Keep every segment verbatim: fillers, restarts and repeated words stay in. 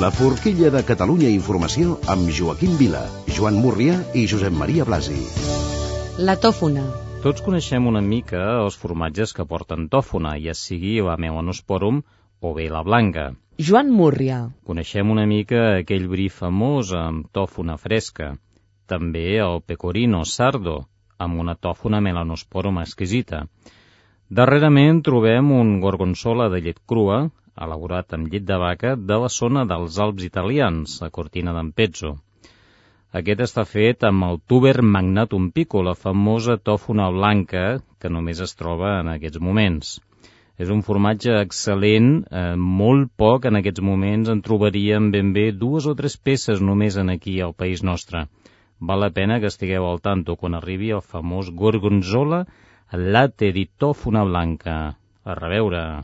La forquilla de Catalunya Informació amb Joaquim Vila, Joan Múrria i Josep Maria Blasi. La tòfona. Tots coneixem una mica els formatges que porten tòfona, ja sigui la Melanosporum o bé la blanca. Joan Múrria. Coneixem una mica aquell bri famós amb tòfona fresca. També el pecorino sardo, amb una tòfona Melanosporum exquisita. Darrerament trobem un gorgonzola de llet crua, elaborat amb llet de vaca de la zona dels Alps italians, a Cortina d'Ampezzo. Aquest està fet amb el tuber magnatum pico, la famosa tòfona blanca que només es troba en aquests moments. És un formatge excel·lent, eh, molt poc en aquests moments en trobaríem ben bé dues o tres peces només en aquí al país nostre. Val la pena que estigueu al tanto quan arribi el famós gorgonzola latte di tòfona blanca. A reveure!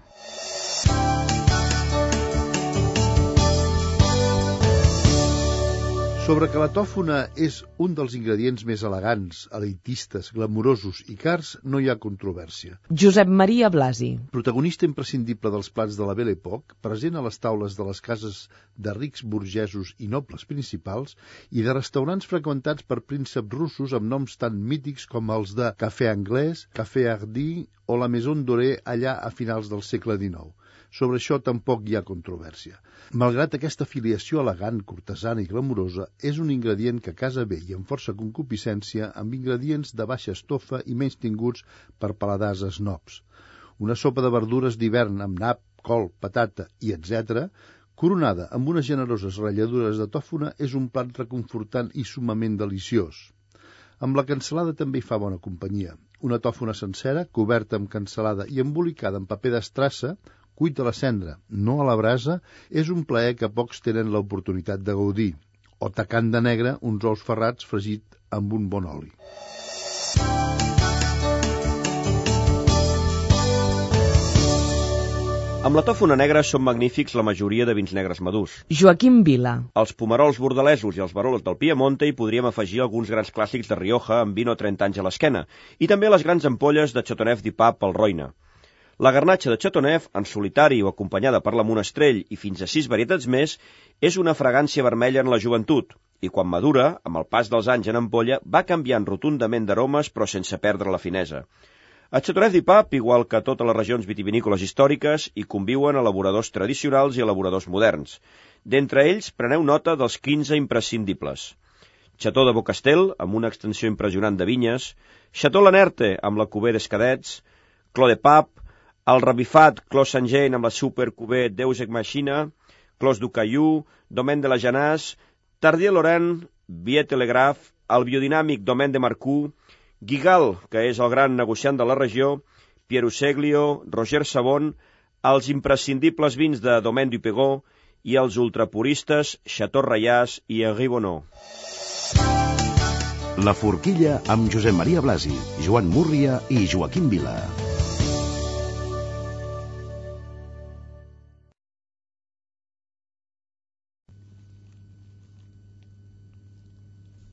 Sobre que la tòfona és un dels ingredients més elegants, elitistes, glamurosos i cars, no hi ha controvèrsia. Josep Maria Blasi. Protagonista imprescindible dels plats de la Belle Époque, present a les taules de les cases de rics burgesos i nobles principals i de restaurants freqüentats per prínceps russos amb noms tan mítics com els de Café Anglès, Café Hardy o la Maison Dorée allà a finals del segle dinou. Sobre això tampoc hi ha controvèrsia. Malgrat aquesta filiació elegant, cortesana i glamurosa, és un ingredient que casa bé i amb força concupiscència amb ingredients de baixa estofa i menys tinguts per paladars snobs. Una sopa de verdures d'hivern amb nap, col, patata i etcètera, coronada amb unes generoses ratlladures de tòfona, és un plat reconfortant i summament deliciós. Amb la cansalada també hi fa bona companyia. Una tòfona sencera, coberta amb cansalada i embolicada en paper d'estrassa, cuit a la cendra, no a la brasa, és un plaer que pocs tenen l'oportunitat de gaudir. O tacant de negre, uns ous ferrats fregit amb un bon oli. Amb la tòfona negra són magnífics la majoria de vins negres madurs. Joaquim Vila. Els pomerols bordalesos i els barols del Piemonte hi podríem afegir alguns grans clàssics de Rioja amb vint o trenta anys a l'esquena, i també les grans ampolles de Chateauneuf du Pape al Roine. La garnatxa de Chateauneuf, en solitari o acompanyada per la Monestrell i fins a sis varietats més, és una fragància vermella en la joventut, i quan madura, amb el pas dels anys en ampolla, va canviant rotundament d'aromes però sense perdre la finesa. A Chateauneuf du Pape, igual que a totes les regions vitivinícoles històriques, hi conviuen elaboradors tradicionals i elaboradors moderns. D'entre ells, preneu nota dels quinze imprescindibles. Chateau de Beaucastel, amb una extensió impressionant de vinyes, Chateau Lanerte, amb la Cuvée des Cadets, Clos de Pape, el revifat Clos Saint-Jean amb la Super Cuvée Deus Ex Machina, Clos du Caillou, Domaine de la Janasse, Tardier Laurent, Viet Telegraph, el biodinàmic Domaine de Marcoux, Guigal, que és el gran negociant de la regió, Pieruseglio, Roger Savon, els imprescindibles vins de Domaine du Pegau i els ultrapuristes Chateau Rayas i Henri Bonneau. La forquilla amb Josep Maria Blasi, Joan Múrria i Joaquim Vila.